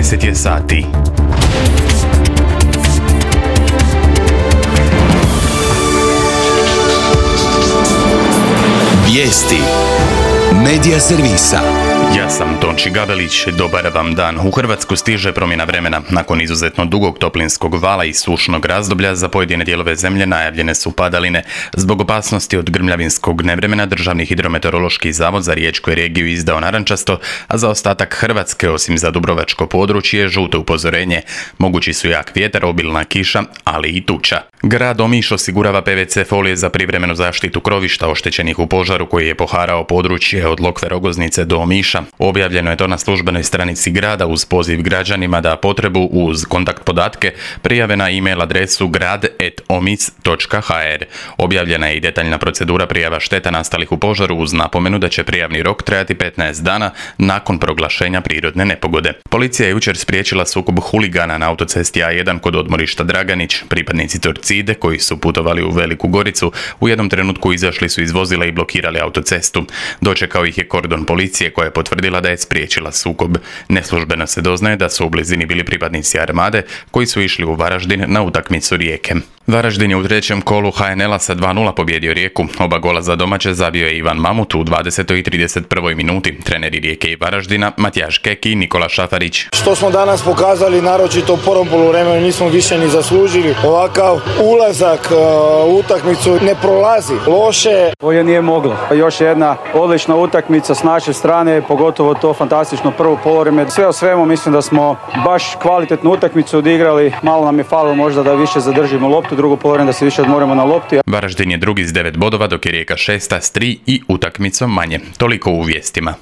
10 je sati. Vijesti Medija servisa. Ja sam Tonči Gabelić, dobar vam dan. U Hrvatsku stiže promjena vremena. Nakon izuzetno dugog toplinskog vala i sušnog razdoblja za pojedine dijelove zemlje najavljene su padaline. Zbog opasnosti od grmljavinskog nevremena Državni hidrometeorološki zavod za riječku je regiju izdao narančasto, a za ostatak Hrvatske, osim za dubrovačko područje, žuto upozorenje. Mogući su jak vjetar, obilna kiša, ali i tuča. Grad Omiš osigurava PVC folije za privremenu zaštitu krovišta oštećenih u požaru koji je poharao područje od Lokve Rogoznice do Omiša. Objavljeno je to na službenoj stranici grada uz poziv građanima da potrebu uz kontakt podatke prijave na e-mail adresu grad@omis.hr. Objavljena je i detaljna procedura prijava šteta nastalih u požaru uz napomenu da će prijavni rok trajati 15 dana nakon proglašenja prirodne nepogode. Policija je jučer spriječila sukob huligana na autocesti A1 kod odmorišta Draganić. Pripadnici Torcide koji su putovali u Veliku Goricu u jednom trenutku izašli su iz vozila i blokirali autocestu. Dočekao ih je kordon policije koja je potvrdila da je spriječila sukob. Neslužbeno se doznaje da su u blizini bili pripadnici Armade koji su išli u Varaždin na utakmicu Rijeke. Varaždin je u trećem kolu HNL-a sa 2:0 pobjedio Rijeku. Oba gola za domaće zabio je Ivan Mamut u 20. i 31. minuti. Treneri Rijeke i Varaždina Matijaš Kek i Nikola Šafarić. Što smo danas pokazali, naročito u prvom poluvremenu, nismo više ni zaslužili. Ovakav ulazak u utakmicu ne prolazi loše. Ovo nije moglo. Još jedna odlična utakmica s naše strane, pogotovo to fantastično prvo poluvreme. Sve o svemu mislim da smo baš kvalitetnu utakmicu odigrali. Malo nam je falilo možda da više zadržimo loptu, drugo poluvreme da se više odmorimo na lopti. Varaždin je drugi s 9 bodova, dok je Rijeka šesta s 3 i utakmicom manje. Toliko u vijestima.